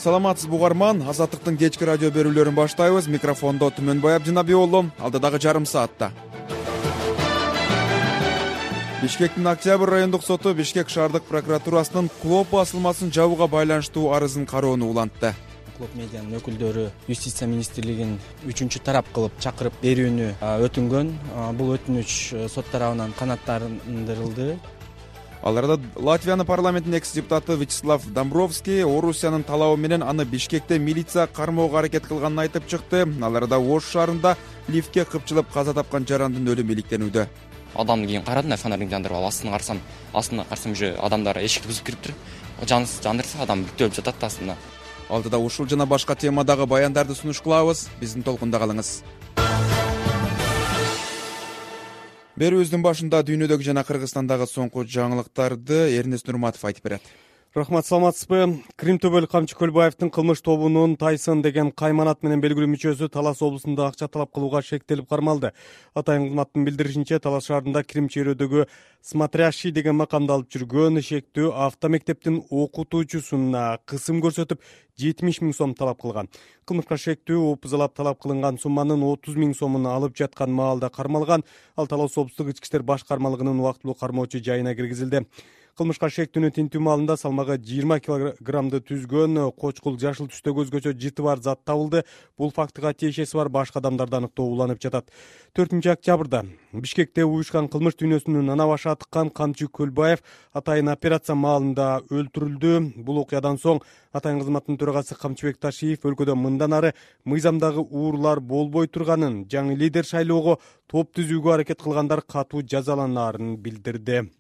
Саламатсызбы угарман, Азаттыктын кечки радио берүүлөрүн баштайбыз. Микрофондо Түмөнбай Абдинабий уулу. Алдыдагы жарым саатта Бишкектин Октябрь райондук соту Бишкек шаардык прокуратурасынын Клоп басылмасын жабууга байланыштуу арызын кароону улантты. Клоп медианын өкүлдөрү Юстиция министрлигин 3-тарап кылып чакырып берүүнү өтүнгөн. Бул өтүнүч сот тарабынан канааттандырылды. Аларда Латвиянын парламентинин экс-депутаты Вячеслав Домбровский Орусиянын талабы менен аны Бишкекте милиция кармоого аракет кылганын айтып чыкты. Аларда Ош шаарында лифтке кыпчылып каза тапкан жарандын өлүмү иликтенүүдө. Адамды кийин карадым, фонарьдин жандырып алып астына карасам уже адамдар эшикти бузуп кириптир. Жандырса адам бүктөлүп жатат астында. Алдыда ушул жана башка темадагы баяндарды сунуш кылабыз. Биздин толкунда калыңыз. Берүүбүздүн башында дүйнөдөгү жана Кыргызстандагы соңку жаңылыктарды Эрнест Нурматов айтып берет. Рахмат, саламатсызбы? Крим төбөлүк камчы Көлбаевдин кылмыш тобунун Тайсон деген кайманат менен белгилүү мүчөсү Талас облусунда акча талап кылууга шектелип кармалды. Атайын кызматтын билдиришинче, Талас шаарында Крим чөйрөдөгү смотрящий деген макамда алып жүргөн ишектүү автомектептин окутуучусуна кысым көрсөтүп 70 000 сом талап кылган. Кылмышка шектүү опузалап талап кылынган сумманын 30 000 сомун алып жаткан маалда кармалган. Ал Талас облустук ички иштер башкармалыгынын убактылуу кармоочу жайына киргизилди. Кылмышка шектүүнүн тинтүү маалында салмагы 20 килограммды түзгөн кочкул жашыл түстөгү өзгөчө жыты бар зат табылды. Бул фактыга тиешеси бар башка адамдарды аныктоо уланып жатат. 4-октябрда Бишкекте уюшкан кылмыш дүйнөсүнүн ана башы атыккан Камчы Көлбаев атайын операция маалында өлтүрүлдү. Бул окуядан соң атайын кызматтын төрагасы Камчыбек Ташиев өлкөдө мындан ары мыйзамдагы уурулар болбой турганын, жаңы лидер шайлоого топ түзүүгө аракет кылгандар катуу жазаланаарын билдирди.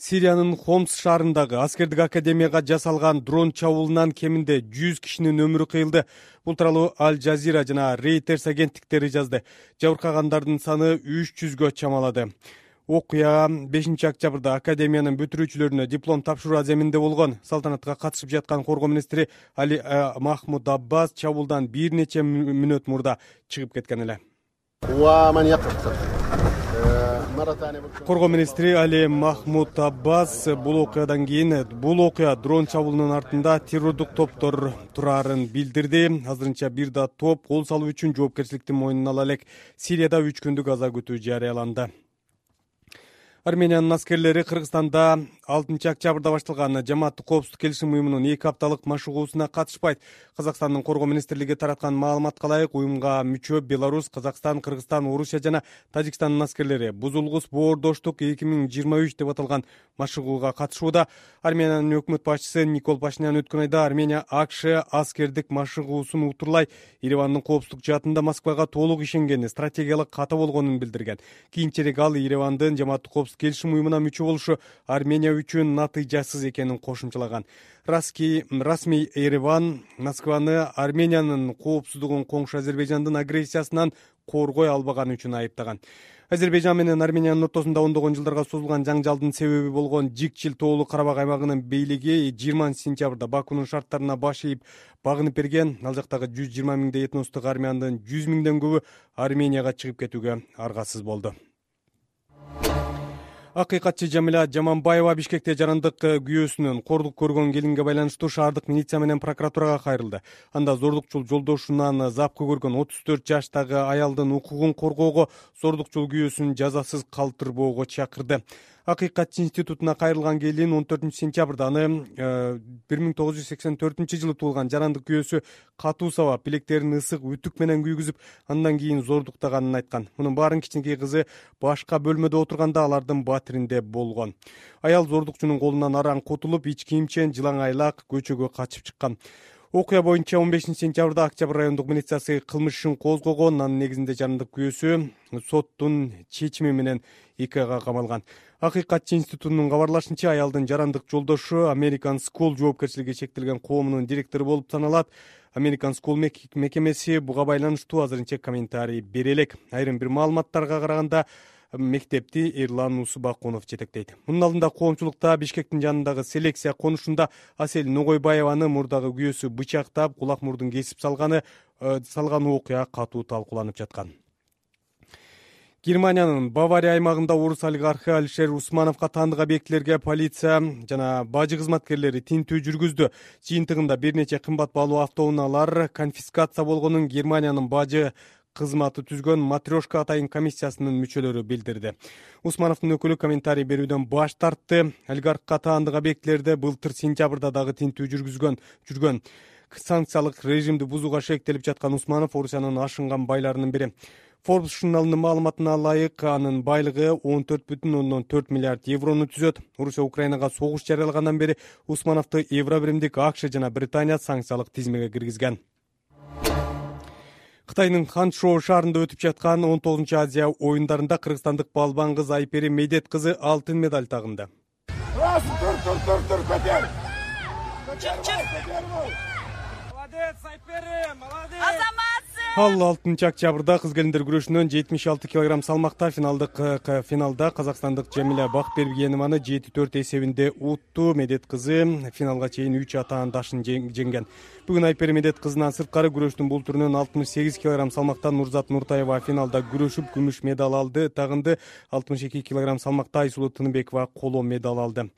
Сириянын Хомс шаарындагы аскердик академияга жасалган дрон чабуулунан кеминде 100 кишинин өмүрү кыйылды. Бул тууралуу Аль Жазира жана Reuters агенттиктери жазды. Жабыркагандардын саны 300гө чамалады. Окуя 5-октябрда академиянын бүтүрүүчүлөрүнө диплом тапшыруу аземинде болгон. Салтанатка катышып жаткан коргоо министри Али Махмуд Аббас чабуулдан бир нече мүнөт мурда чыгып кеткен эле. Коргоо министри Али Махмуд Аббас бул окуядан кийин дрон чабуулунун артында террордук топтор турарын билдирди. Азырынча бир да топ кол салуу үчүн жоопкерчиликти мойнуна ала элек. Сирияда 3 күндүк аза күтүү жарыяланды. Армениянын аскерлери Кыргызстанда 6-октябрда башталган жамааттык коопсуздук келишим уюмунун 2 апталык машыгуусуна катышпайт. Казакстандын коргоо министрлиги тараткан маалыматка ылайык, уюмга мүчө Беларусь, Казакстан, Кыргызстан, Орусия жана Тажикстандын аскерлери бузулгус боордоштук 2023 деп аталган машыгууга катышууда. Армениянын өкмөт башчысы Никол Пашинян өткөн айда Армения АКШ аскердик машыгуусун утурлай Еревандын коопсуздук жаатында Москвага толук ишенгени, стратегиялык ката болгонун билдирген. Кийинчерээк ал Еревандын жамааттык коопсуздук келишим уюмуна мүчө болушу Армения үчүн натыйжасыз экенин кошумчалаган. Расмий Ереван Москваны Армениянын коопсуздугун коңшу Азербайжандын агрессиясынан коргой албаганы үчүн айыптаган. Азербайжан менен Армениянын ортосунда ондогон жылдарга созулган жаңжалдын себеби болгон Жикчил тоолуу Карабак аймагынын бийлиги 20-сентябрда Бакунун шарттарына баш ийип багынып берген. Ал жактагы 120 миңдей этностук армяндын 100 миңден көбү Арменияга чыгып кетүүгө аргасыз болду. Акыйкатчы Жамиля Жаманбаева Бишкекте жарандык күйөөсүнөн кордук көргөн келинге байланыштуу шаардык милиция менен прокуратурага кайрылды. Анда зордукчул жолдошунан запкы көргөн 34 жаштагы аялдын укугун коргоого, зордукчул күйөөсүн жазасыз калтырбоого чакырды. Акыйкатчы институтуна кайрылган келин 14-сентябрда аны 1984 жылы туулган жарандык күйөөсү катуу сабап, билектерин ысык үтүк менен күйгүзүп, андан кийин зордуктаганын айткан. Мунун баарын кичинекей кызы башка бөлмөдө отурганда алардын батиринде болгон. Аял зордукчунун колунан араң кутулуп, ич кийимчен жылаңайлак көчөгө качып чыккан. Окуя боюнча 15-сентябрда Октябрь райондук милициясы кылмыш ишин козгогон. Анын негизинде жарандык күйөөсү соттун чечими менен 2 айга камалган. Акыйкатчы институтунун кабарлашынча, аялдын жарандык жолдошу American School жоопкерчилиги чектелген коомунун директору болуп саналат. American School мекемеси буга байланыштуу азырынча комментарий бере элек. Айрым бир маалыматтарга караганда мектепти Эрлан Усубакунов жетектейт. Мунун алдында коомчулукта Бишкектин жанындагы селекция конушунда Асель Ногойбаеваны мурдагы күйөөсү бычактап, кулак мурдун кесип салган окуя катуу талкууланып жаткан. Германиянын Бавария аймагында орус олигархы Алишер Усмановго таандык объектилерге полиция жана бажы кызматкерлери тинтүү жүргүздү. Жыйынтыгында бир нече кымбат баалуу автоунaalар конфискация болгонун Германиянын бажы кызматы түзгөн Матрешка атайын комиссиясынын мүчөлөрү билдирди. Усмановдун өкүлү комментарий берүүдөн баш тартты. Олигархка таандык объектилерде былтыр сентябрда дагы тинтүү жүргөн. Санкциялык режимди бузууга шектелип жаткан Усманов Орусиянын ашынган байларынын бири. Forbes журналынын маалыматына ылайык анын байлыгы 14,4 миллиард еврону түзөт. Орусия Украинага согуш жарыялагандан бери Усмановду евро биримдик АКШ жана Британия санкциялык тизмеге киргизген. Кытайдын Ханчжоу шаарында өтүп жаткан 19 Азия оюндарында кыргызстандык балбан кыз Айпери Медет кызы алтын медаль тагынды. Ал 6 октябрда кыз келиндер күрөшүнөн 76 кг салмакта финалда казакстандык Жамиля Бакбергенованы 7-4 эсебинде утту. Медет кызы финалга чейин 3 атаандашын жеңген. Бүгүн Айпери Медет кызынан сырткары күрөштүн бул түрүнөн 68 кг салмакта Нурзат Нуртаева финалда күрөшүп күмүш медаль алды. Тагынды 62 кг салмакта Айсулуу Тыныбекова коло медаль алды.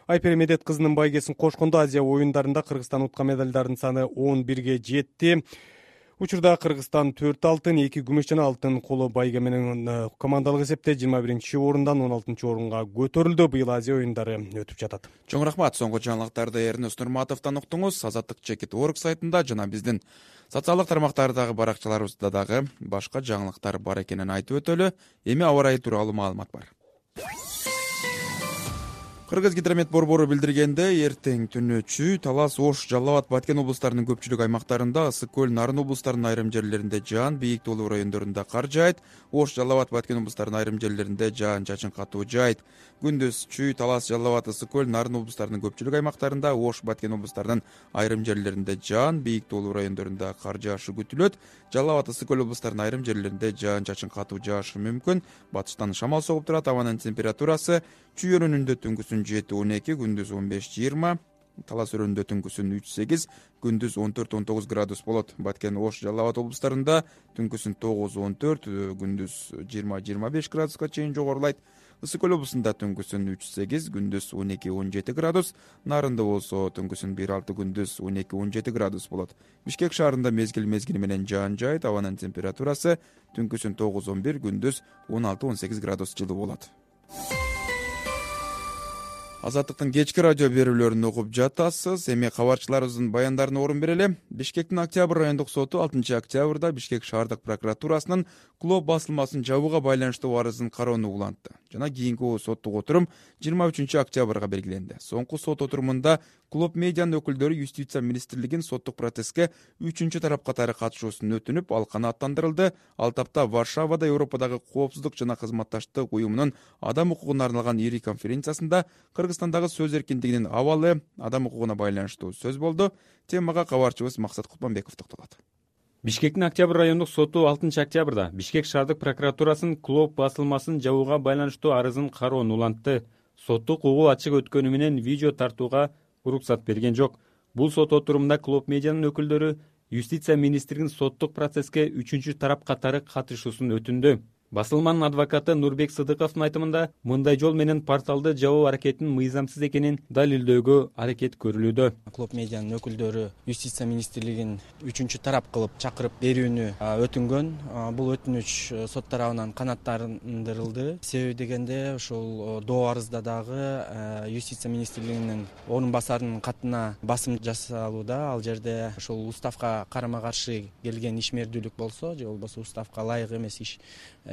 Айпери Медет кызынын байгесин кошкондо Азия оюндарында Кыргызстан уткан медалдардын саны 11ге жетти. Учурда Кыргызстан 4 алтын, 2 күмүш жана алтын коло байге менен командалык эсепте 21-орундан 16-орунга көтөрүлдү. Быйыл Азия оюндары өтүп жатат. Чоң рахмат. Соңку жаңылыктарды Эрнест Нурматовдон уктуңуз. Азаттык.org сайтында жана биздин социалдык тармактардагы баракчаларыбызда дагы башка жаңылыктар бар экенин айтып өтөлү. Эми аба ырайы тууралуу маалымат бар. Кыргыз гидромет борбору билдиргенде, эртең түнү Чүй, Талас, Ош, Жалал Абад, Баткен облустарынын көпчүлүк аймактарында, Ысык көл, Нарын облустарынын айрым жерлеринде жаан, бийик тоолуу райондорунда кар жаайт. Ош, Жалал Абад, Баткен облустарынын айрым жерлеринде жаан-чачын катуу жаайт. Күндүз Чүй, Талас, Жалал Абад, Ысык көл, Нарын облустарынын көпчүлүк аймактарында, Ош, Баткен облустарынын айрым жерлеринде жаан, бийик тоолуу райондорунда кар жаашы күтүлөт. Жалал Абад, Ысык көл облустарынын айрым жерлеринде жаан-чачын катуу жаашы мүмкүн. Батыштан шамал согуп турат. Абанын температурасы Чүй өрөөнүндө түнкүсүн 7-12, күндүз 15-20, Талас өрөөнүндө түнкүсүн 3-8, күндүз 14-19 градус болот. Баткен, Ош, Жалал Абад облустарында түнкүсүн 9-14, күндүз 20-25 градуска чейин жогорулайт. Ысык көл облусунда түнкүсүн 3-8, күндүз 12-17 градус, Нарында болсо түнкүсүн 1-6, күндүз 12-17 градус болот. Бишкек шаарында мезгил менен жаан жаайт. Абанын температурасы түнкүсүн 9-11, күндүз 16-18 градус жылуу болот. Азаттыктын кечки радио берүүлөрүн угуп жатасыз. Эми кабарчыларыбыздын баяндарына орун берели. Бишкектин Октябрь райондук соту 6 октябрда Бишкек шаардык прокуратурасынын клуб басылмасын жабууга байланыштуу арызын кароону улантты. Жана кийинки соттук отурум 23 октябрга белгиленди. Соңку сот отурумунда клуб медианын өкүлдөрү юстиция министрлигин соттук процесске 3 тарап катары катышуусун өтүнүп, ал канааттандырылды. Ал тапта Варшавада Европадагы коопсуздук жана кызматташтык уюмунун адам укугуна арналган ири конференциясында Кыргызстандагы сөз эркиндигинин абалы адам укугуна байланыштуу сөз болду. Темага кабарчыбыз Максат Кутманбеков токтолот. Бишкектин Октябрь райондук соту 6 октябрда Бишкек шаардык прокуратурасынын клуб басылмасын жабууга байланыштуу арызын кароону улантты. Соттук угуу ачык өткөнү менен видео тартууга уруксат берген жок. Бул сот отурумунда клуб медианын өкүлдөрү юстиция министринин соттук процесске 3 тарап катары катышуусун өтүндү. Басылманын адвокаты Нурбек Сыдыковдун айтымында, мындай жол менен порталды жабуу аракетинин мыйзамсыз экенин далилдөөгө аракет көрүлүүдө. Клуб медианын өкүлдөрү юстиция министрлигин 3 тарап кылып чакырып берүүнү өтүнгөн. Бул өтүнүч сот тарабынан канааттандырылды. Себеби дегенде ошол доо арызда дагы юстиция министрлигинин орун басарынын катына басым жасалууда. Ал жерде ошол уставка карама каршы келген ишмердүүлүк болсо, же болбосо уставка ылайык эмес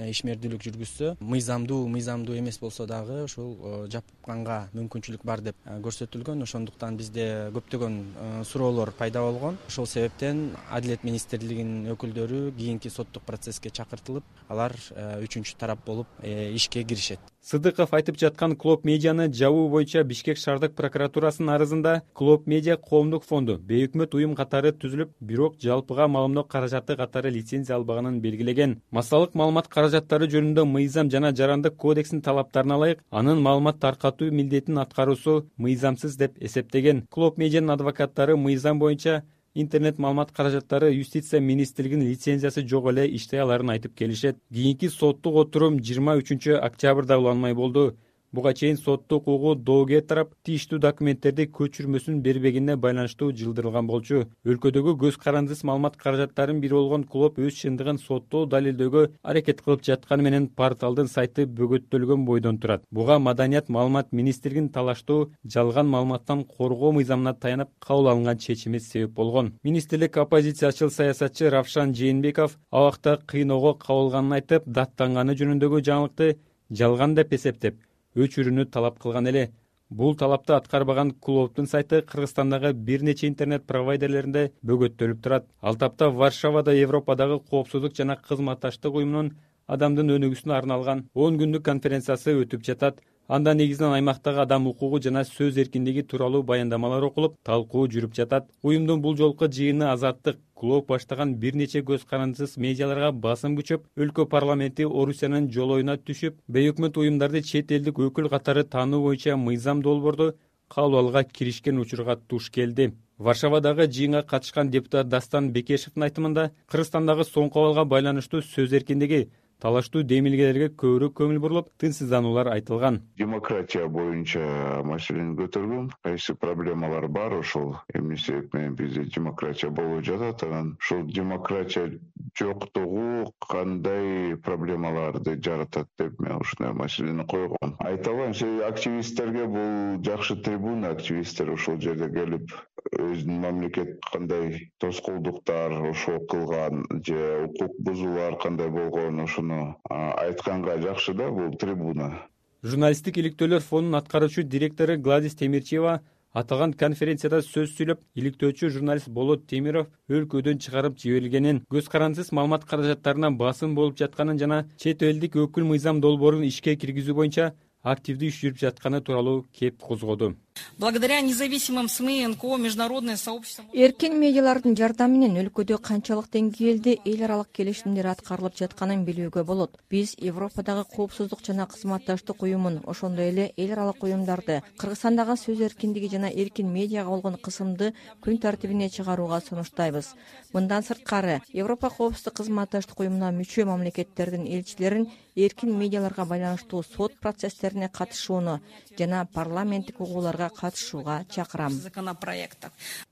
ишмердүүлүк жүргүзсө, мыйзамдуу эмес болсо дагы ушул жапканга мүмкүнчүлүк бар деп көрсөтүлгөн. Ошондуктан бизде көптөгөн суроолор пайда болгон. Ошол себептен Адилет министрлигинин өкүлдөрү кийинки соттук процесске чакыртылып, алар 3 тарап болуп ишке киришет. Сыдыков айтып жаткан клуб медианы жабуу боюнча Бишкек шаардык прокуратурасынын арызында клуб медиа коомдук фонду бейөкмөт уюм катары түзүлүп, бирок жалпыга маалымдоо каражаты катары лицензия албаганын белгилеген. Массалык маалымат каражаттары жөнүндө мыйзам жана жарандык кодекстин талаптарына ылайык анын маалымат таркатуу милдетин аткаруусу мыйзамсыз деп эсептеген. Клуб медианын адвокаттары мыйзам боюнча интернет маалымат каражаттары юстиция министрлигинин лицензиясы жок эле иштей аларын айтып келишет. Кийинки соттук отурум 23 октябрда уланмай болду. Буга чейин соттук укугу доогер тарап тийиштүү документтерди көчүрмөсүн бербегенине байланыштуу жылдырылган болчу. Өлкөдөгү көз карандысыз маалымат каражаттарынын бири болгон клуб өз чындыгын соттоо далилдөөгө аракет кылып жатканы менен порталдын сайты бөгөттөлгөн бойдон турат. Буга Маданият маалымат министрлигинин талаштуу жалган маалыматтан коргоо мыйзамына таянып кабыл алынган чечими себеп болгон. Министрлик оппозициячыл саясатчы Равшан Жээнбеков абакта кыйноого кабылганын айтып, даттанганы жөнүндөгү жаңылыкты жалган деп эсептеп, өчүрүүнү талап кылган эле. Бул талапты аткарбаган клубдун сайты Кыргызстандагы бир нече интернет провайдерлеринде бөгөттөлүп турат. Ал тапта Варшавада Европадагы коопсуздук жана кызматташтык уюмунун адамдын өнүгүүсүнө арналган 10 күндүк конференциясы өтүп жатат. Анда негизинен аймактагы адам укугу жана сөз эркиндиги тууралуу баяндамалар окулуп, талкуу жүрүп жатат. Уюмдун бул жолку жыйыны Азаттык клуб баштаган бир нече көз карандысыз медиаларга басым күчөп, өлкө парламенти Орусиянын жолоюна түшүп, бейөкмөт уюмдарды чет элдик өкүл катары таануу боюнча мыйзам долбоорду кабыл алууга киришкен учурга туш келди. Варшавадагы жыйынга катышкан депутат Дастан Бекешевдин айтымында, Кыргызстандагы соңку абалга байланыштуу сөз эркиндиги, талаштуу демилгелерге көбүрөөк көңүл бурулуп, тынчсыздануулар айтылган. Демократия боюнча маселени көтөргөн. Кайсы проблемалар бар ошол эмнеси менен бизде демократия болуп жатат. Анан ушул демократия жоктугу кандай проблемаларды жаратат деп мен ушундай маселени койгом. Айта алайын, активисттерге бул жакшы трибуна. Активисттер ошол жерде келип, өзүнүн мамлекет кандай тоскоолдуктар ошол кылган же укук бузуулар кандай болгон ошону айтканга жакшы да бул трибуна. Журналисттик иликтөөлөр фондунун аткаруучу директору Гладис Темирчиева аталган конференцияда сөз сүйлөп, иликтөөчү журналист Болот Темиров өлкөдөн чыгарып жиберилгенин, көз карандысыз маалымат каражаттарына басым болуп жатканын жана чет элдик өкүл мыйзам долбоорун ишке киргизүү боюнча активдүү иш жүрүп жатканы тууралуу кеп козгоду. Благодаря независимым СМИ, НКО, международное сообщество. Эркин медиалардын жардамы менен өлкөдө канчалык деңгээлде эл аралык келишимдер аткарылып жатканын билүүгө болот. Биз Европадагы коопсуздук жана кызматташтык уюмун, ошондой эле эл аралык уюмдарды Кыргызстандагы сөз эркиндиги жана эркин медиага болгон кысымды күн тартибине чыгарууга сунуштайбыз. Мындан сырткары, Европа коопсуздук кызматташтык уюмуна мүчө мамлекеттердин элчилерин эркин медиаларга байланыштуу сот процесстерине катышууну жана парламенттик угууларга катышууга чакырам.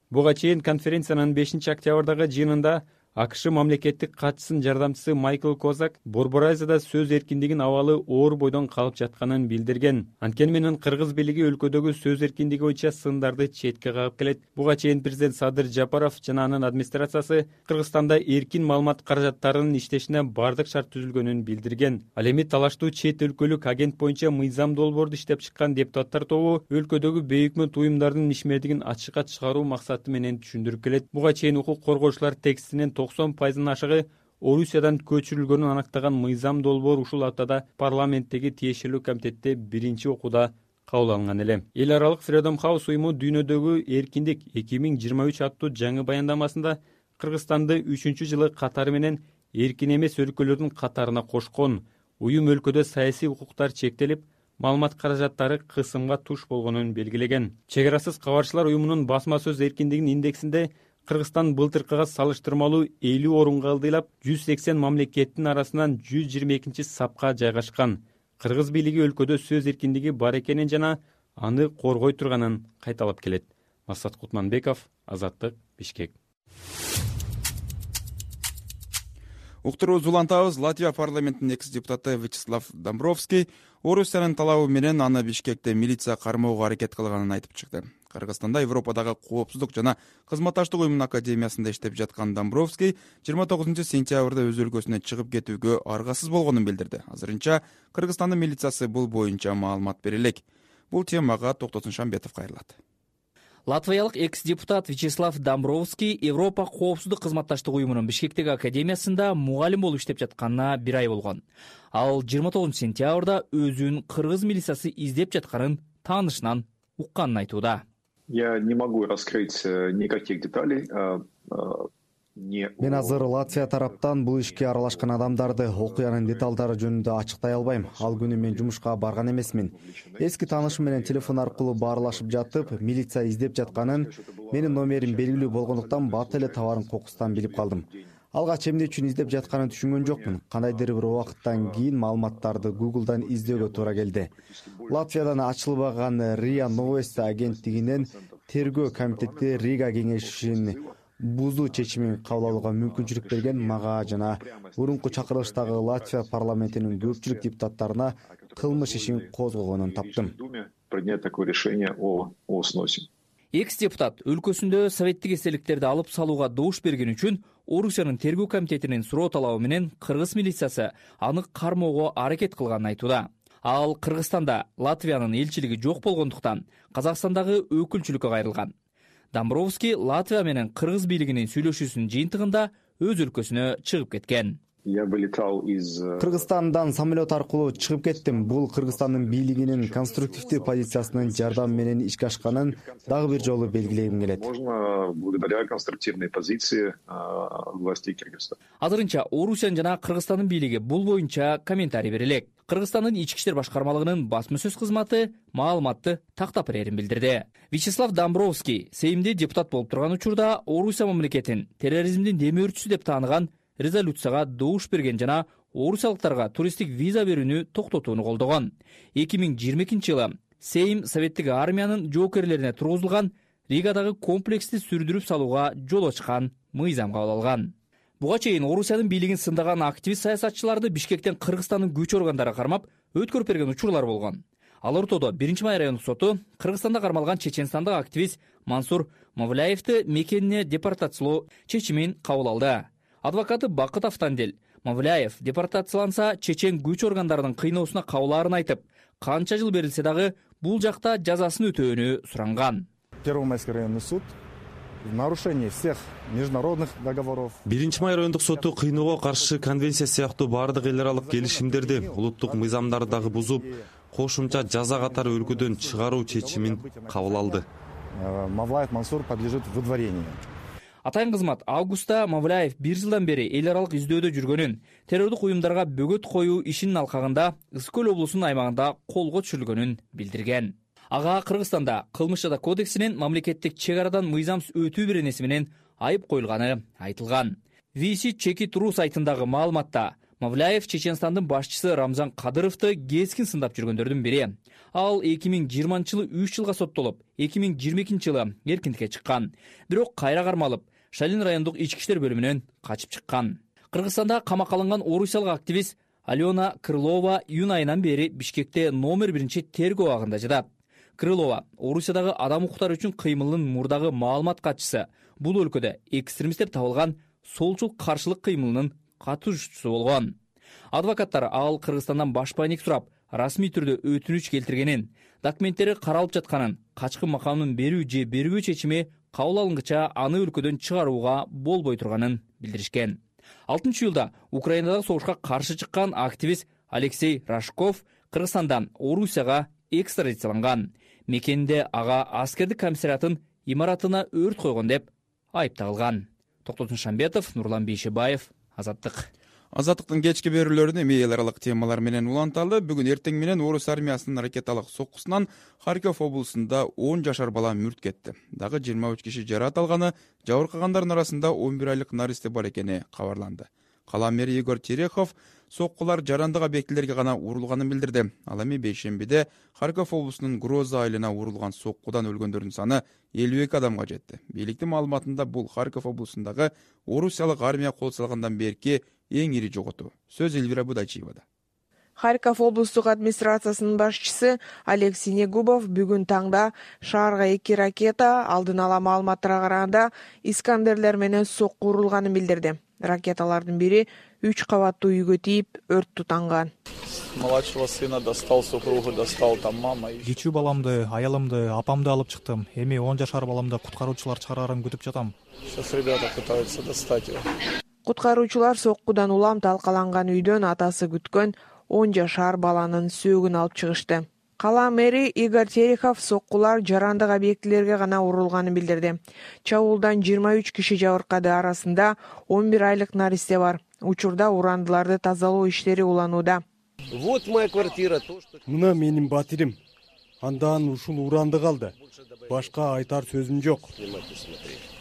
Буга чейин конференциянын 5 октябрдагы жыйынында АКШ мамлекеттик катчысынын жардамчысы Майкл Козак Борборайзада сөз эркиндигинин абалы оор бойдон калып жатканын билдирген. Анткени менен кыргыз бийлиги өлкөдөгү сөз эркиндиги боюнча сындарды четке кагып келет. Буга чейин президент Садыр Жапаров жана анын администрациясы Кыргызстанда эркин маалымат каражаттарынын иштешине бардык шарт түзүлгөнүн билдирген. Ал эми талаштуу чет өлкөлүк агент боюнча мыйзам долбоорду иштеп чыккан депутаттар тобу өлкөдөгү бейөкмөт уюмдардын ишмердигин ачыкка чыгаруу максаты менен түшүндүрүп келет. Буга чейин укук коргоочулар текстинин 90% ашыгы Орусиядан көчүрүлгөнүн аныктаган мыйзам долбоор ушул аптада парламенттеги тиешелүү комитетте биринчи окууда кабыл алынган эле. Эл аралык Freedom House уюму дүйнөдөгү эркиндик 2023 аттуу жаңы баяндамасында Кыргызстанды 3-жылы катары менен эркин эмес өлкөлөрдүн катарына кошкон. Уюм өлкөдө саясий укуктар чектелип, маалымат каражаттары кысымга туш болгонун белгилеген. Чек арасыз кабарчылар уюмунун басма сөз эркиндигинин индексинде Кыргызстан былтыркыга салыштырмалуу 50 орунга ылдыйлап, 180 мамлекеттин арасынан 122 сапка жайгашкан. Кыргыз бийлиги өлкөдө сөз эркиндиги бар экенин жана аны коргой турганын кайталап келет. Масат Кутманбеков, Азаттык, Бишкек. Уктуруубузду улантабыз. Латвия парламентинин экс-депутаты Вячеслав Домбровский Орусиянын талабы менен аны Бишкекте милиция кармоого аракет кылганын айтып чыкты. Кыргызстанда Европадагы коопсуздук жана кызматташтык уюмунун академиясында иштеп жаткан Домбровский 29 сентябрда өз өлкөсүнө чыгып кетүүгө аргасыз болгонун билдирди. Азырынча Кыргызстандын милициясы бул боюнча маалымат бере элек. Бул темага Токтосун Шамбетов кайрылат. Латвиялык экс-депутат Вячеслав Домбровский Европа коопсуздук кызматташтык уюмунун Бишкектеги академиясында мугалим болуп иштеп жатканына 1 ай болгон. Ал 29 сентябрда өзүн кыргыз милициясы издеп жатканын таанышынан укканын айтууда. Я не могу раскрыть никаких деталей Мен азыр Латвия тараптан бул ишке аралашкан адамдарды, окуянын деталдары жөнүндө ачыктай албайм. Ал күнү мен жумушка барган эмесмин. Эски таанышым менен телефон аркылуу баарлашып жатып, милиция издеп жатканын, менин номерим белгилүү болгондуктан бат эле товардын кокусунан билип калдым. Алгач эмне үчүн издеп жатканын түшүнгөн жокмун. Кандайдыр бир убакыттан кийин маалыматтарды Google'дан издөөгө туура келди. Латвиядан ачылбаган РИА Новости агенттигинен тергөө комитети Рига кеңешин бузуу чечимин кабыл алууга мүмкүнчүлүк берген мага жана мурунку чакырылыштагы Латвия парламентинин көпчүлүк депутаттарына кылмыш ишин козгогонун таптым. Принять такое решение о сносе. Экс-депутат өлкөсүндө советтик эстеликтерди алып салууга добуш берген үчүн Орусиянын тергөө комитетинин суроо талабы менен кыргыз милициясы аны кармоого аракет кылганын айтууда. Ал Кыргызстанда Латвиянын элчилиги жок болгондуктан Казакстандагы өкүлчүлүккө кайрылган. Домбровский Латвия менен кыргыз бийлигинин сүйлөшүүсүнүн жыйынтыгында өз өлкөсүнө чыгып кеткен. Я вылетал из Кыргызстандан самолет аркылуу чыгып кеттим. Бул Кыргызстандын бийлигинин конструктивдүү позициясынын жардамы менен ишке ашканын дагы бир жолу белгилегим келет. Можно благодаря конструктивной позиции властей Кыргызстана. Азырынча Орусиянын жана Кыргызстандын бийлиги бул боюнча комментарий бере элек. Кыргызстандын ички иштер башкармалыгынын басма сөз кызматы маалыматты тактап берерин билдирди. Вячеслав Домбровский Сеймде депутат болуп турган учурда Орусия мамлекетин терроризмдин демөөрчүсү деп тааныган резолюцияга добуш берген жана орусиялыктарга туристтик виза берүүнү токтотууну колдогон. 2022-жылы Сейм советтик армиянын жоокерлерине тургузулган Ригадагы комплексти сүрдүрүп салууга жол ачкан мыйзам кабыл алган. Буга чейин Орусиянын бийлигин сындаган активист саясатчыларды Бишкектен Кыргызстандын күч органдары кармап, өткөрүп берген учурлар болгон. Ал ортодо 1-май райондук соту Кыргызстанда кармалган чеченстандык активист Мансур Мавляевди мекенине депортациялоо чечимин кабыл алды. Адвокаты Бакыт Автандел Мавляев депортацияланса чечен күч органдарынын кыйноосуна кабылаарын айтып, канча жыл берилсе дагы бул жакта жазасын өтөөнү суранган. Первомайский районный суд в нарушении всех международных договоров. 1-май райондук соту кыйноого каршы конвенция сыяктуу баардык эл аралык келишимдерди улуттук мыйзамдарды дагы бузуп, кошумча жаза катары өлкөдөн чыгаруу чечимин кабыл алды. Мавлаев Мансур подлежит выдворению. Атайын кызмат августта Мавляев 1 жылдан бери эл аралык издөөдө жүргөнүн, террордук уюмдарга бөгөт коюу ишинин алкагында Ысык көл облусунун аймагында колго түшүрүлгөнүн билдирген. Ага Кыргызстанда кылмыш жаза кодексинин мамлекеттик чек арадан мыйзамсыз өтүү беренеси менен айып коюлганы айтылган. VC Чеки Туру сайтындагы маалыматта Мавляев Чеченстандын башчысы Рамзан Кадыровду кескин сындап жүргөндөрдүн бири. Ал 2020-жылы 3 жылга соттолуп, 2022-жылы эркиндикке чыккан. Бирок кайра кармалып, Шалин райондук ички иштер бөлүмүнөн качып чыккан. Кыргызстанда камакка алынган орусиялык активист Алена Крылова июнь айынан бери Бишкекте номер 1 тергөө абагында жатат. Крылова Орусиядагы адам укуктары үчүн кыймылынын мурдагы маалымат катчысы, бул өлкөдө экстремист деп табылган солчул каршылык кыймылынын катышуучусу болгон. Адвокаттар ал Кыргызстандан башпайник сурап, расмий түрдө өтүнүч келтиргенин, документтери каралып жатканын, качкы макамын берүү же бербөө чечими кабыл алынгыча аны өлкөдөн чыгарууга болбой турганын билдиришкен. 6-июлда Украинадагы согушка каршы чыккан активист Алексей Рашков Кыргызстандан Орусияга экстрадицияланган. Мекенде ага аскердик комиссариятын имаратына өрт койгон деп айыпталган. Токтосун Шамбетов, Нурлан Бейшебаев, Азаттык. Азаттыктын кечки берүүлөрүн эми эл аралык темалар менен уланталы. Бүгүн эртең менен Орус армиясынын ракеталык соккусунан Харьков облусунда 10 жашар бала мүрт кетти. Дагы 23 киши жаракат алганы, жабыркагандардын арасында 11 айлык наристе бар экени кабарланды. Кала мэри Игорь Терехов соккулар жарандык объектилерге гана урулганын билдирди. Ал эми бейшембиде Харьков облусунун Гроза айылына урулган соккудан өлгөндөрдүн саны 52 адамга жетти. Бийликтин маалыматында бул Харьков облусундагы орусиялык армия кол салгандан берки эң ири жоготуу. Сөз Эльвира Будайчиевада. Харьков облустук администрациясынын башчысы Алексей Негубов бүгүн таңда шаарга 2 ракета алдын ала маалыматтарга караганда Искандерлер менен сокку урулганын билдирди. Ракеталардын бири 3 кабаттуу үйгө тийип, өрт тутанган. Младшего сына достал, супругу достал, там мама. Кичүү баламды, аялымды, апамды алып чыктым. Эми 10 жашар баламды куткаруучулар чыгарарын күтүп жатам. Сейчас ребята пытаются достать его. Куткаруучулар соккудан улам талкаланган үйдөн атасы күткөн 10 жашар баланын сөөгүн алып чыгышты. Кала мэри Игорь Терехов соккулар жарандык объектилерге гана урулганын билдирди. Чабуулдан 23 киши жабыркады, арасында 11 айлык наристе бар. Учурда урандыларды тазалоо иштери уланууда. Вот моя квартира. Мына менин батирим. Андан ушул уранды калды. Башка айтар сөзүм жок.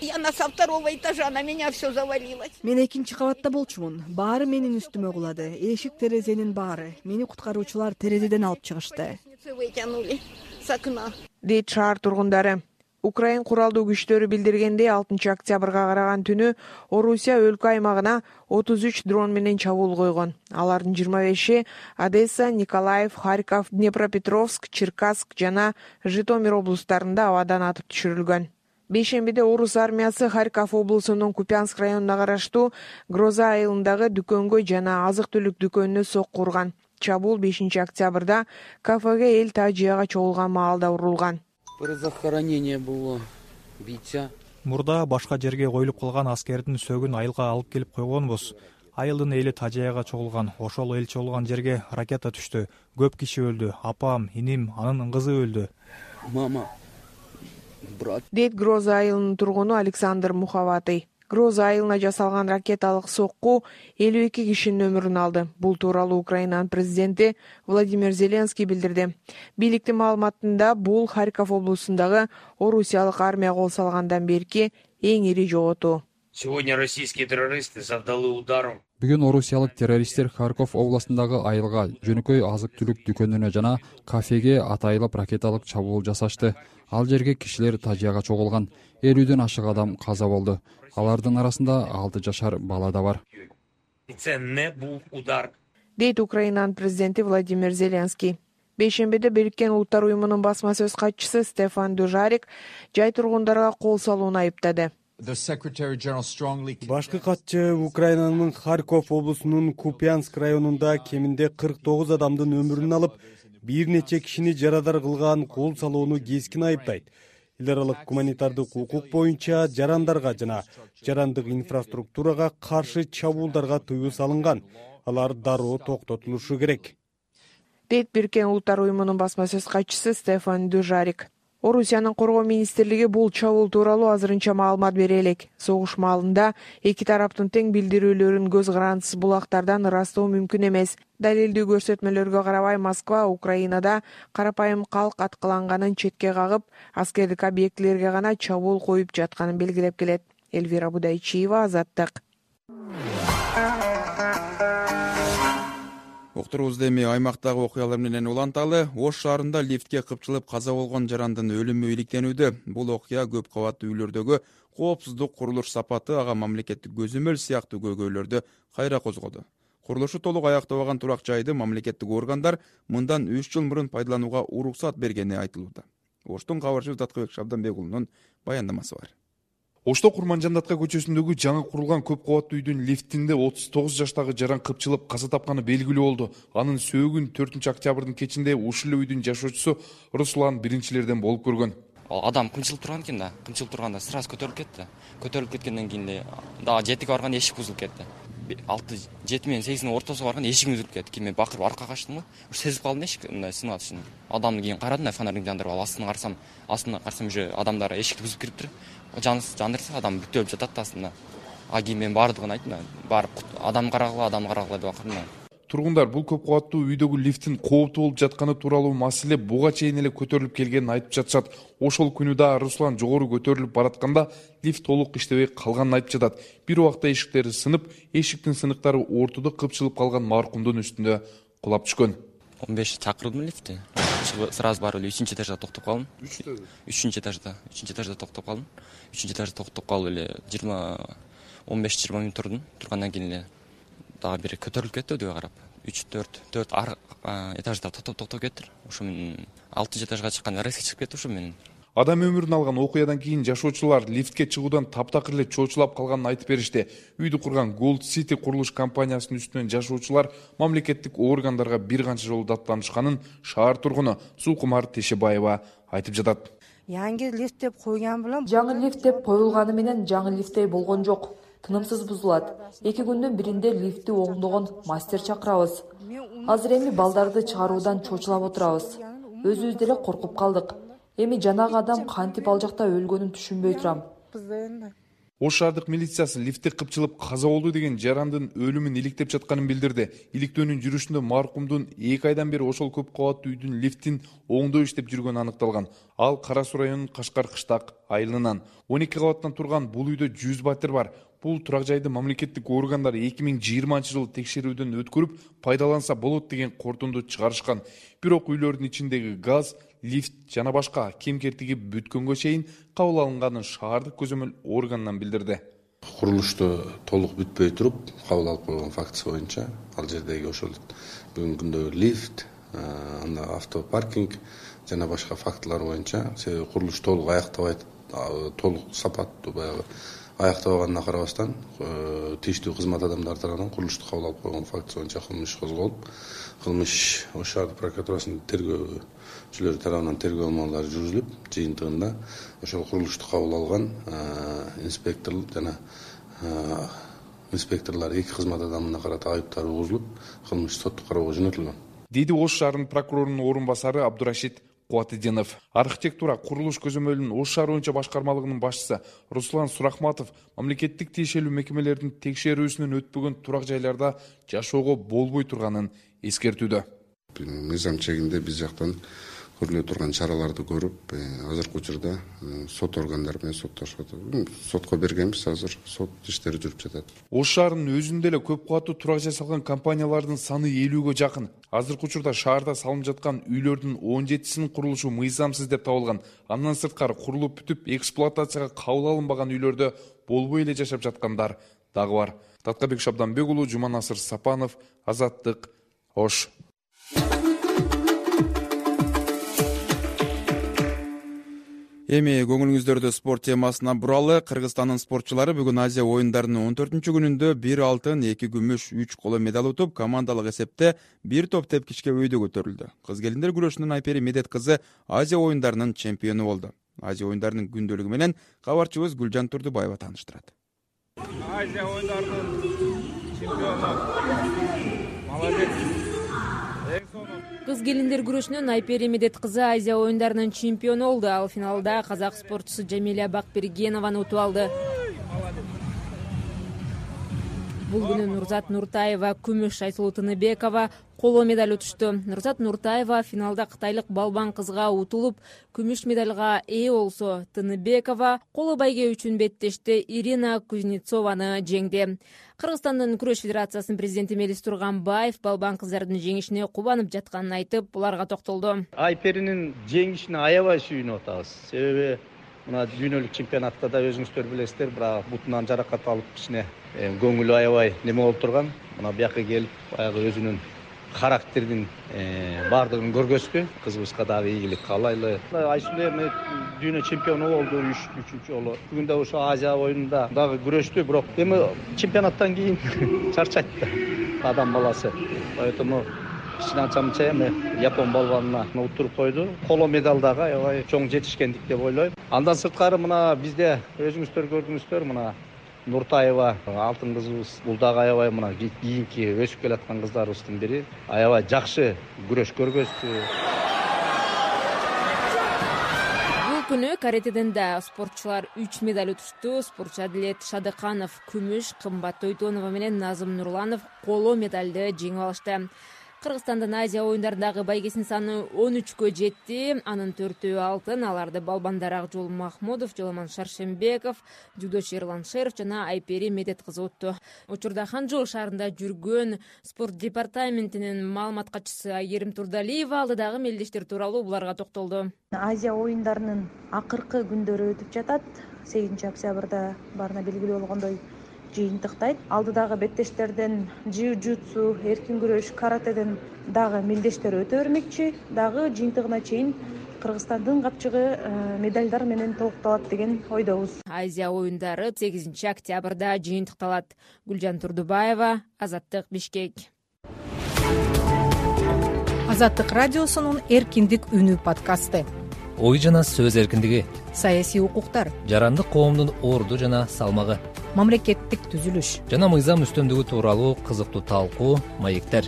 Я со второго этажа, на меня все завалилось. Мен экинчи кабатта болчумун. Баары менин үстүмө кулады. Эшик терезенин баары. Мени куткаруучулар терезеден алып чыгышты. Вытянули с окна. Дейт шаар тургундары. Украин куралдуу күчтөрү билдиргендей 6 октябрга караган түнү Орусия өлкө аймагына 33 дрон менен чабуул койгон. Алардын 25-и Одесса, Николаев, Харьков, Днепропетровск, Черкасск жана Житомир облустарында абадан атып түшүрүлгөн. Бейшембиде орус армиясы Харьков облусунун Купянск районуна караштуу Гроза айылындагы дүкөнгө жана азык-түлүк дүкөнүнө сокку урган. Чабуул 5 октябрда кафеге эл тажияга чогулган маалда урулган. Захоронение было, бийца. Мурда башка жерге коюлуп калган аскердин сөгүн айылга алып келип койгонбуз. Айылдын эли тажияга чогулган. Ошол эл чогулган жерге ракета түштү. Көп киши өлдү. Апам, иним, анын кызы өлдү. Мама, брат. Дейт Гроза айылынын тургуну Александр Муховатый. Гроза айылына жасалган ракеталык сокку 52 кишинин өмүрүн алды. Бул тууралуу Украинанын президенти Владимир Зеленский билдирди. Бийликтин маалыматында бул Харьков облусундагы орусиялык армия кол салгандан берки эң ири жоготуу. Сегодня российские террористы завдали удар. Бүгүн орусиялык террористтер Харьков областындагы айылга, жөнөкөй азык-түлүк дүкөнүнө жана кафеге атайылып ракеталык чабуул жасашты. Ал жерге кишилер тажияга чогулган. 50ден ашык адам каза болду. Алардын арасында 6 жашар бала да бар. Дейт Украинанын президенти Владимир Зеленский. Бейшембиде Бириккен Улуттар уюмунун басма сөз катчысы Стефан Дужарик жай тургундарга кол салууну айыптады. Башкы катчы Украинанын Харьков облусунун Купянск районунда кеминде 49 адамдын өмүрүн алып, бир нече кишини жарадар кылган кол салууну кескин айыптайт. Эл аралык гуманитардык укук боюнча жарандарга жана жарандык инфраструктурага каршы чабуулдарга тыюу салынган. Алар дароо токтотулушу керек. Дейт Бириккен Улуттар уюмунун басма сөз катчысы Стефан Дужарик. Орусиянын коргоо министрлиги бул чабуул тууралуу азырынча маалымат бере элек. Согуш маалында эки тараптын тең билдирүүлөрүн көз карандысыз булактардан ырастоо мүмкүн эмес. Далилдүү көрсөтмөлөргө карабай Москва Украинада карапайым калк аткыланганын четке кагып, аскердик объектилерге гана чабуул коюп жатканын белгилеп келет. Эльвира Будайчиева, Азаттык. Уктуруубузда эми аймактагы окуялар менен уланталы. Ош шаарында лифтке кыпчылып каза болгон жарандын өлүмү иликтенүүдө. Бул окуя көп кабаттуу үйлөрдөгү коопсуздук курулуш сапаты, ага мамлекеттик көзөмөл сыяктуу көйгөйлөрдү кайра козгоду. Курулушу толук аяктабаган турак жайды мамлекеттик органдар мындан 3 жыл мурун пайдаланууга уруксат бергени айтылууда. Оштун кабарчысы Таткыбек Шабданбек уулунун баяндамасы бар. Ошто Курманжандатка көчөсүндөгү жаңы курулган көп кабаттуу үйдүн лифтинде 39 жаштагы жаран кыпчылып каза тапканы белгилүү болду. Анын сөөгүн 4 октябрдын кечинде ушул үйдүн жашоочусу Руслан биринчилерден болуп көргөн. Адам кымчылып турган экен да. Кымчылып турганда сразу көтөрүлүп кетти. Көтөрүлүп кеткенден кийин дагы 7ге барганда эшик бузулуп кетти. 6-7 менен 8-дин ортосуна барганда эшигим үзүлүп кетти. Кийин мен бакырып аркага качтым го. Сезип калдым эшик мындай сынып атышын. Адамды кийин карадым да, фонарьды жандырып алып астына карасам уже адамдар эшикти бузуп кириптир. Жандырса адам бүт өлүп жатат астында. Кийин мен баардыгын айттым да. Барып адам карагыла деп акырдым. Тургундар бул көп кабаттуу үйдөгү лифттин кооптуу болуп жатканы тууралуу маселе буга чейин эле көтөрүлүп келгенин айтып жатышат. Ошол күнү да Руслан жогору көтөрүлүп баратканда лифт толук иштебей калганын айтып жатат. Бир убакта эшиктери сынып, эшиктин сыныктары ортодо кыпчылып калган маркумдун үстүнө кулап түшкөн. 15 чакырдым лифтти. Сразу барып эле 3-этажда токтоп калдым. 3-этажда токтоп калдым. 3-этажда токтоп калып эле 15-20 мүнөт турдум. Тургандан кийин эле дагы бир көтөрүлүп кетти өйдөгө карап. 3-4 этажда токтоп кеттир. Ошо мен 6-этажга чыкканда резко чыгып кетти ошо менен. Адам өмүрүн алган окуядан кийин жашоочулар лифтке чыгуудан таптакыр эле чоочулап калганын айтып беришти. Үйдү курган Gold City курулуш компаниясынын үстүнөн жашоочулар мамлекеттик органдарга бир канча жолу даттанышканын шаар тургуну Сулкумар Тешебаева айтып жатат. Жаңы лифт деп коюлганы менен жаңы лифттей болгон жок. Тынымсыз бузулат. 2 күндүн биринде лифтти оңдогон мастер чакырабыз. Азыр эми балдарды чыгаруудан чочулап отурабыз. өзүбүз деле коркуп калдык. Эми жанагы адам кантип ал жакта өлгөнүн түшүнбөй турам. Ош шаардык милициясы лифтте кыпчылып каза болду деген жарандын өлүмүн иликтеп жатканын билдирди. Иликтөөнүн жүрүшүндө маркумдун 2 айдан бери ошол көп кабаттуу үйдүн лифтин оңдоо иштеп жүргөнү аныкталган. Ал Кара Суу районунун Кашкар кыштак айылынан. 12 кабаттан турган бул үйдө 100 батир бар. Бул турак жайды мамлекеттик органдар 2020-жылы текшерүүдөн өткөрүп, пайдаланса болот деген корутунду чыгарышкан. Бирок үйлөрдүн ичиндеги газ, лифт жана башка кем-кетиги бүткөнгө чейин кабыл алынганын шаардык көзөмөл органынан билдирди. Курулушту толук бүтпөй туруп кабыл алып койгон фактысы боюнча ал жердеги ошол бүгүнкү күндө лифт, анда автопаркинг жана башка фактылар боюнча себеби курулуш толук аяктабайт, толук сапаттуу баягы аяктабаганына карабастан тийиштүү кызмат адамдары тарабынан курулушту кабыл алып койгон фактысы боюнча кылмыш иш козголуп, кылмыш Ош шаардык прокуратурасынын тергөөчүлөрү тарабынан тергөө амалдары жүргүзүлүп, жыйынтыгында ошол курулушту кабыл алган инспектор жана инспекторлор 2 кызмат адамына карата айыптар угузулуп, кылмыш соттук кароого жөнөтүлгөн. Деди Ош шаарынын прокурорунун орун басары Абдурашид Кубатыдинов. Архитектура курулуш көзөмөлүнүн Ош шаар боюнча башкармалыгынын башчысы Руслан Сурахматов мамлекеттик тиешелүү мекемелердин текшерүүсүнөн өтпөгөн турак жайларда жашоого болбой турганын эскертүүдө. Мыйзам чегинде биз жактан көрүлө турган чараларды көрүп, азыркы учурда сот органдары менен соттошуп атат. Сотко бергенбиз, азыр сот иштери жүрүп жатат. Ош шаарынын өзүндө эле көп кабаттуу турак жасалган компаниялардын саны 50-гө жакын. Азыркы учурда шаарда салынып жаткан үйлөрдүн 17синин курулушу мыйзамсыз деп табылган. Андан сырткары курулуп бүтүп эксплуатацияга кабыл алынбаган үйлөрдө болбой эле жашап жаткандар дагы бар. Таткабек Шабданбек уулу, Жуманасыр Сапанов, Азаттык, Ош. Эми көңүлүңүздөрдү спорт темасына буралы. Кыргызстандын спортчулары бүгүн Азия оюндарынын 14-күнүндө 1 алтын, 2 күмүш, 3 коло медаль утуп, командалык эсепте 1 топ тепкичке өйдө көтөрүлдү. Кыз-келиндер күрөшүнүн Айпери Медет кызы Азия оюндарынын чемпиону болду. Азия оюндарынын күндөлүгү менен кабарчыбыз Гүлжан Турдубаева тааныштырат. Азия оюндарынын чемпиону. Молодец. Кыз-келиндер күрөшүнүн Айпери Медет кызы Азия оюндарынын чемпиону болду. Ал финалда казак спортчусу Жамиля Бакбергенованы утуп алды. Бул күнү Нурзат Нуртаева, күмүш, Айсулуу Тыныбекова коло медаль утушту. Нурзат Нуртаева финалда кытайлык балбан кызга утулуп, күмүш медальга ээ болсо, Тыныбекова коло байге үчүн беттеште Ирина Кузнецованы жеңди. Кыргызстандын күрөш федерациясынын президенти Мелис Турганбаев балбан кыздардын жеңишине кубанып жатканын айтып, буларга токтолду. Айперинин жеңишине аябай сүйүнүп атабыз. Себеби мына дүйнөлүк чемпионатта да өзүңүздөр билесиздер, бирок бутунан жаракат алып кичине көңүлү аябай неме болуп турган. Мына бияка келип, баягы өзүнүн характердин баардыгын көргөздү. Кызыбызга дагы ийгилик каалайлы. Айсулуу эми дүйнө чемпиону болду 3-4 жолу. Бүгүн да ошо Азия оюнунда дагы күрөштү, бирок эми чемпионаттан кийин чарчайт да адам баласы. Поэтому кичине анча-мынча эми япон балбанына утуруп койду. Коло медаль дагы аябай чоң жетишкендик деп ойлойм. Андан сырткары мына бизде өзүңүздөр көрдүңүздөр, мына Нуртаева алтын кызыбыз, бул дагы аябай мына кийинки өсүп келаткан кыздарыбыздын бири. Аябай жакшы күрөш көргөздү. Бул күнү каратеден да спортчулар 3 медаль утушту. Спортчу Адилет Шадыканов күмүш, Кымбат Тойтонова менен Назым Нурланов коло медальды жеңип алышты. Кыргызстандын Азия оюндарындагы байгесинин саны 13кө жетти. Анын 4-өө алтын. Аларды балбандар Акжол Махмудов, Жоламан Шаршембеков, дзюдочу Эрлан Шеров жана Айпери Медет кызы утту. Учурда Ханчжоу шаарында жүргөн спорт департаментинин маалымат катчысы Айгерим Турдалиева алдыдагы мелдештер тууралуу буларга токтолду. Азия оюндарынын акыркы күндөрү өтүп жатат. 8-октябрда баарына белгилүү болгондой жыйынтыктайт. Алдыдагы беттештерден джиу-джитсу, эркин күрөш, каратеден дагы мелдештер өтө бермекчи. Дагы жыйынтыгына чейин Кыргызстандын капчыгы медальдар менен толукталат деген ойдобуз. Азия оюндары 8-октябрда жыйынтыкталат. Гүлжан Турдубаева, Азаттык, Бишкек. Азаттык радиосунун Эркиндик үнү подкасты. Ой жана сөз эркиндиги, саясий укуктар, жарандык коомдун орду жана салмагы, мамлекеттик түзүлүш жана мыйзам үстөмдүгү тууралуу кызыктуу талкуу, маектер.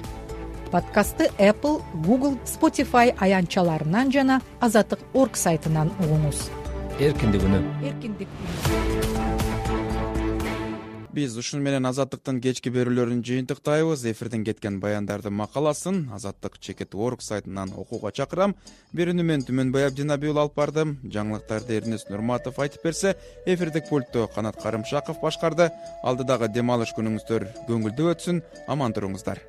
подкастты Apple, Google, Spotify аянтчаларынан жана azаттык.org сайтынан угуңуз. Эркиндик үнү. Биз ушун менен Азаттыктын кечки берүүлөрүн жыйынтыктайбыз. Эфирден кеткен баяндардын макаласын azаттык.org сайтынан окууга чакырам. Берүүнү мен Түмөнбай Абдинабиул алып бардым. Жаңылыктарды Эрнест Нурматов айтып берсе, эфирдик пультту Канат Карымшаков башкарды. Алдыдагы дем алыш күнүңүздөр көңүлдүү өтсүн. Аман туруңуздар.